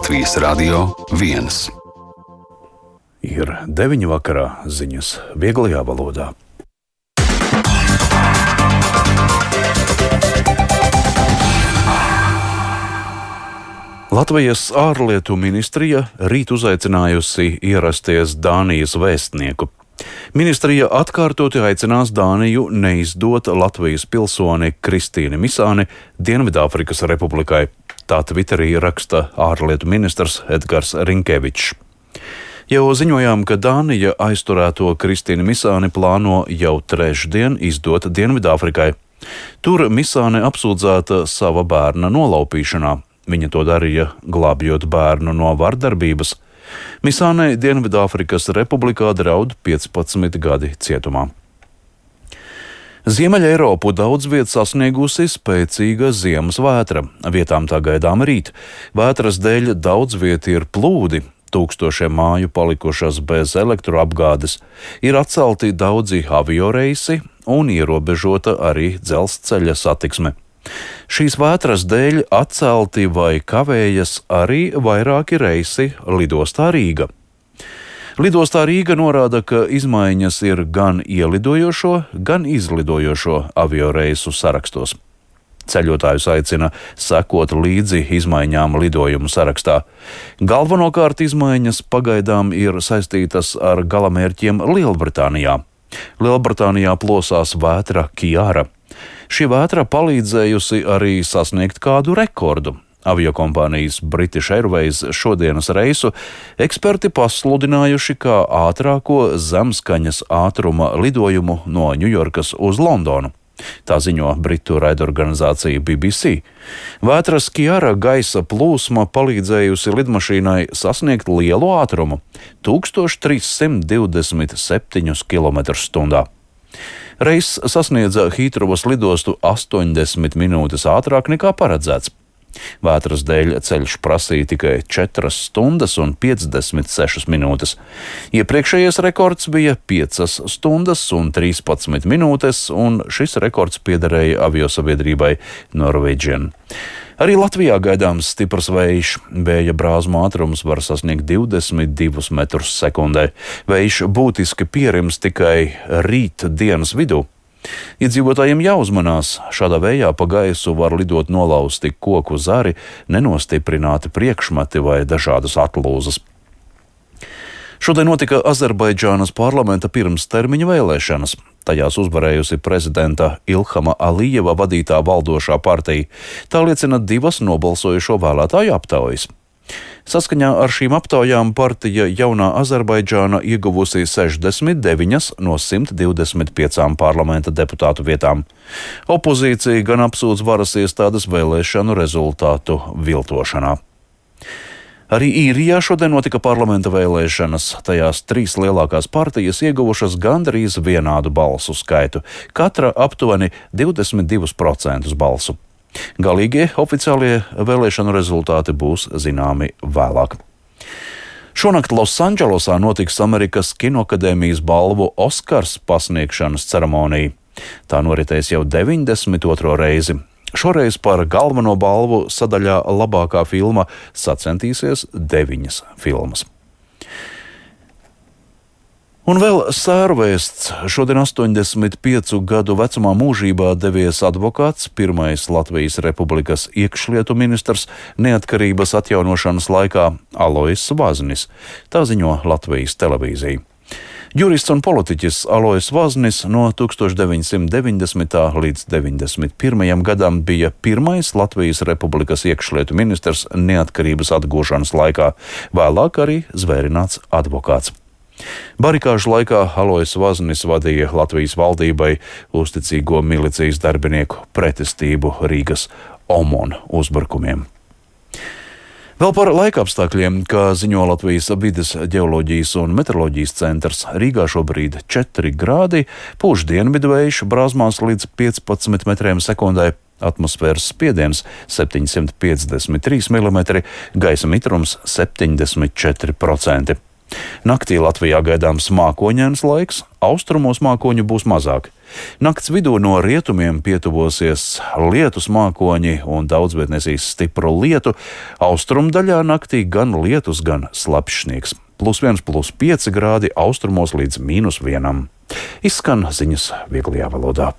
Latvijas Radio 1. Ir 9 vakarā, ziņas vieglajā valodā. Latvijas ārlietu ministrija rīt uzaicinājusi ierasties Dānijas vēstnieku. Ministrija atkārtoti aicinās Dāniju neizdot Latvijas pilsoni Kristīni Misāni Dienvidāfrikas Republikai. Tā Twitterī raksta ārlietu ministrs Edgars Rinkevičs. Jau ziņojām, ka Dānija aizturēto Kristīnu Misāni plāno jau trešdien izdot Dienvidāfrikai. Tur Misāne apsūdzēta sava bērna nolaupīšanā. Viņa to darīja, glābjot bērnu no vardarbības. Misānei Dienvidāfrikas Republikā draud 15 gadi cietumā. Ziemeļa Eiropu daudz viet sasniegusi spēcīga ziemas vētra. Vietām tā gaidām rīt. Vētras dēļ daudz viet ir plūdi. Tūkstošiem māju palikušas bez elektroapgādes. Ir atcelti daudzi avioreisi un ierobežota arī dzelzceļa satiksme. Šīs vētras dēļ atcelti vai kavējas arī vairāki reisi lidostā Rīga. Lidostā Rīga norāda, ka izmaiņas ir gan ielidojošo, gan izlidojošo avioreisu sarakstos. Ceļotājus aicina sekot līdzi izmaiņām lidojumu sarakstā. Galvenokārt izmaiņas pagaidām ir saistītas ar galamērķiem Lielbritānijā. Lielbritānijā plosās vētra Kiara. Šī vētra palīdzējusi arī sasniegt kādu rekordu. Aviokompānijas British Airways šodienas reisu eksperti pasludinājuši kā ātrāko zemskaņas ātruma lidojumu no Ņujorkas uz Londonu. Tā ziņo britu raidorganizācija BBC. Vētras Kiara gaisa plūsma palīdzējusi lidmašīnai sasniegt lielu ātrumu – 1327 km/h. Reiss sasniedza Hītrovas lidostu 80 minūtes ātrāk nekā paredzēts. Vētras dēļ ceļš prasīja tikai 4 stundas un 56 minūtes. Iepriekšējais rekords bija 5 stundas un 13 minūtes, un šis rekords piederēja aviosabiedrībai Norwegian. Arī Latvijā gaidāms stiprs vējš. Vēja brāzmu ātrums var sasniegt 22 metrus sekundē. Vējš būtiski pierims tikai rīt dienas vidū. Iedzīvotājiem jāuzmanās, šādā vējā pa gaisu var lidot nolausti koku zari, nenostiprināti priekšmeti vai dažādas atlūzas. Šodien notika Azerbaidžānas parlamenta pirmstermiņa vēlēšanas. Tajās uzvarējusi prezidenta Ilhama Alijeva vadītā valdošā partija. Tā liecina 2 nobalsojušo vēlētāju aptaujas. Saskaņā ar šīm aptaujām partija Jaunā Azerbaidžāna ieguvusi 69 no 125 parlamenta deputātu vietām. Opozīcija gan apsūdz varas iestādes vēlēšanu rezultātu viltošanā. Arī Īrijā šodien notika parlamenta vēlēšanas. Tajās 3 lielākās partijas ieguvušas gandrīz vienādu balsu skaitu, katra aptuveni 22% balsu. Galīgie oficiālie vēlēšanu rezultāti būs zināmi vēlāk. Šonakt Losandželosā notiks Amerikas Kinoakadēmijas balvu Oskars pasniegšanas ceremonija. Tā noritēs jau 92. reizi. Šoreiz par galveno balvu sadaļā labākā filma sacentīsies 9 filmas. Un vēl sērvēsts. Šodien 85 gadu vecumā mūžībā devies advokāts, pirmais Latvijas Republikas iekšlietu ministrs neatkarības atjaunošanas laikā Alojs Vaznis. Tā ziņo Latvijas televīzija. Jurists un politiķis Alojs Vaznis no 1990. līdz 91. gadam bija pirmais Latvijas Republikas iekšlietu ministrs neatkarības atgūšanas laikā, vēlāk arī zvērināts advokāts. Barikāžu laikā Alojs Vaznis vadīja Latvijas valdībai uzticīgo milicijas darbinieku pretestību Rīgas OMON uzbrukumiem. Vēl par laikapstākļiem, kā ziņo Latvijas vides ģeoloģijas un meteoroloģijas centrs, Rīgā šobrīd 4 grādi, pūš dienvidvējš brāzmās līdz 15 metriem sekundē, atmosfēras spiediens 753 mm, gaisa mitrums 74%. Naktī Latvijā gaidāms mākoņains laiks, austrumos mākoņu būs mazāk. Nakts vidū no rietumiem pietuvosies lietus mākoņi un daudz viet nesīs stipru lietu. Austrumu daļā naktī gan lietus, gan slapjš sniegs. +1, +5 grādi, austrumos līdz -1. Izskan ziņas vieglajā valodā.